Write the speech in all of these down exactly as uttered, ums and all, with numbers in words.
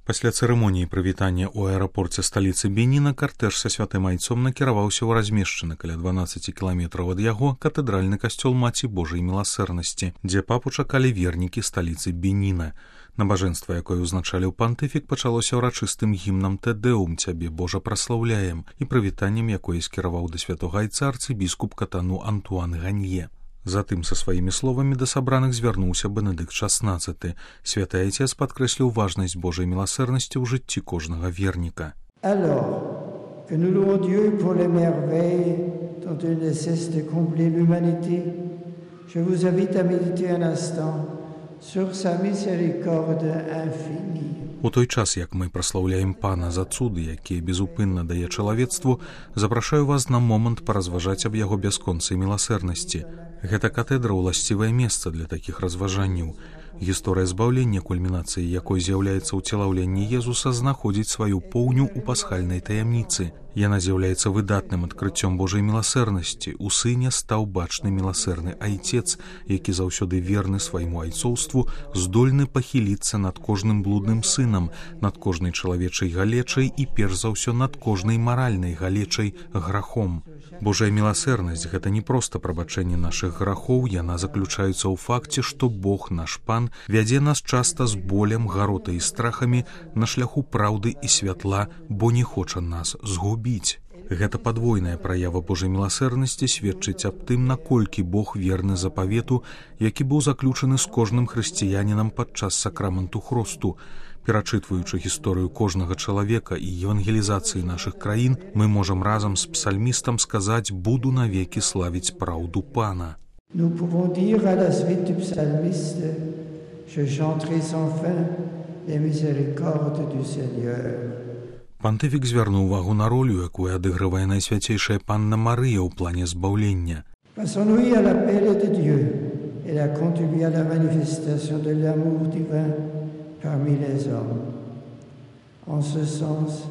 Пасля цырымоніі прывітання ў аэрапорце сталіцы Беніна картэж са святым айцом накіраваўся ў размешчаны каля дванаццаць кіламетраў ад яго катэдральны касцёл Маці Божай міласэрнасці, дзе папу чакалі вернікі сталіцы Беніна. Набажэнства, якое ўзначаліў пантыфік, пачалося ўрачыстым гімнам «Тэдэум, цябе, Божа, праслаўляем» і прывітаннем, якое скіраваў да святога айца арцыбіскуп Катану Антуан Ганье. Затым са сваімі словамі да сабраных звярнуўся Бенедыкт шаснаццаты. Святы айцец падкрэсліў важнасць Божай міласэрнасці ў жыцці кожнага верніка. Alors que nous louons Dieu pour les merveilles dont il ne cesse de combler l'humanité, je vous invite à méditer un instant sur sa miséricorde infinie. У той час, як мы праслаўляем Пана за цуды, якія безупынна дае чалавецтву, запрашаю вас на момант паразважаць аб яго бясконцай міласэрнасці. Гэта катэдра ўласцівае месца для такіх разважанняў. Гісторыя збаўлення, кульмінацыяй якой з'яўляецца ўцелаўленне Езуса, знаходзіць сваю поўню ў пасхальнай таямніцы. Яна з'яўляецца выдатным адкрыццём Божай міласэрнасці. У сыне стаў бачны міласэрны айцец, які заўсёды верны свайму айцоўству, здольны пахіліцца над кожным блудным сынам, над кожнай чалавечай галечай і перш за ўсё над кожнай маральнай галечай грахом. Божая міласэрнасць — гэта не проста прабачэнне нашых грахоў, яна заключаецца ў факце, што Бог, наш Пан, вядзе нас часта з болем, гаротай і страхамі на шляху праўды і святла, бо не хоча нас згубіць. Гэта падвойная праява Божай міласэрнасці сведчыць аб тым, наколькі Бог верны запавету, які быў заключаны з кожным хрысціянінам падчас сакраменту хросту. Перачытваючы гісторыю кожнага чалавека і евангелізацыі нашых краін, мы можам разам з псальмістам сказаць: «Буду навекі славіць праўду Пана». Nous pouvons dire à la suite du psalmiste: Je chanterai sans fin les miséricordes du Seigneur. Пантыфік звярнуў увагу на ролю, якую адыгрывае найсвяцейшая Панна Марыя ў плане збаўлення. Passons-nous à l'appel de Dieu. Elle a contribué à la manifestation de l'amour divin parmi les hommes. En ce sens,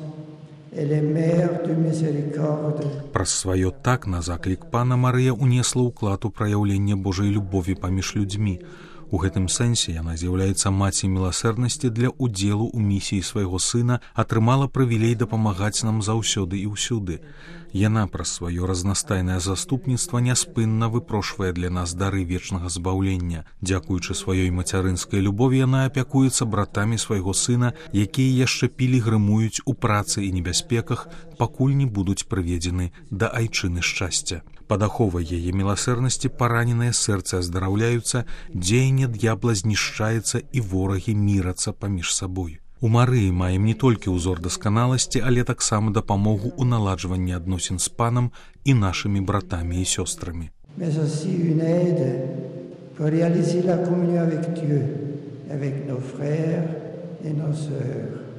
elle est mère de miséricorde. Праз сваё так на заклік Пана Марыя унесла ўклад у праяўленне Божай любові паміж людзьмі. У гэтым сэнсе яна з'яўляецца маці міласэрнасці для ўдзелу ў місіі свайго сына, атрымала прывілей дапамагаць нам заўсёды і ўсюды. Яна праз сваё разнастайнае заступніцтва няспынна выпрошвае для нас дары вечнага збаўлення. Дзякуючы сваёй мацярынскай любові яна апякуецца братамі свайго сына, якія яшчэ пілігрымуюць у працы і небяспеках, пакуль не будуць прыведзены да айчыны шчасця. Пад аховай яе міласэрнасці параненыя сэрцы аздараўляюцца, дзеянне д'ябла знішчаецца і ворагі мірацца паміж сабой. У Марыі маем не толькі ўзор дасканаласці, але таксама дапамогу ў наладжванні адносін з Панам і нашымі братамі і сёстрамі. Mais aussi une aide pour réaliser la communion avec Dieu, avec nos frères et nos sœurs.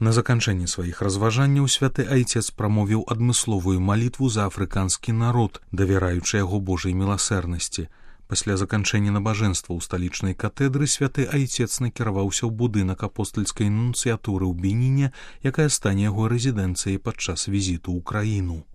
На заканчэнні сваіх разважанняў святы айцец прамовіў адмысловую малітву за афрыканскі народ, давяраючы яго Божай міласэрнасці. Пасля заканчэння набажэнства ў сталічнай катэдры святы айцец накіраваўся ў будынак апостальскай нунцыятуры ў Беніне, якая стане яго рэзідэнцыяй падчас візіту ў краіну.